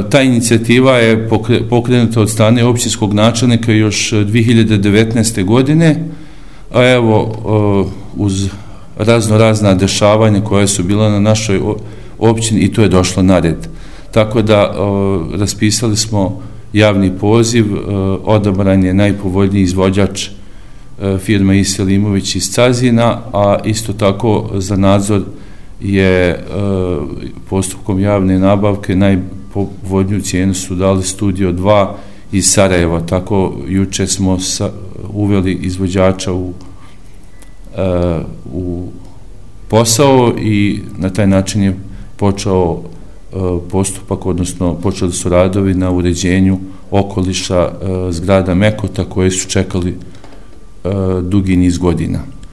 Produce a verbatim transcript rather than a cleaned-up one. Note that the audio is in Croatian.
Ta inicijativa je pokrenuta od strane općinskog načelnika još dvije hiljade devetnaeste. godine, a evo uz razno razna dešavanja koja su bila na našoj općini i to je došlo na red. Tako da raspisali smo javni poziv, odabran je najpovoljniji izvođač firma I. Selimović iz Cazina, a isto tako za nadzor je postupkom javne nabavke najpovoljniju cijenu su dali Studio dva iz Sarajeva. Tako juče smo uveli izvođača u, u posao i na taj način je počeo postupak, odnosno počeli su radovi na uređenju okoliša zgrada Mekota koje su čekali dugi niz godina.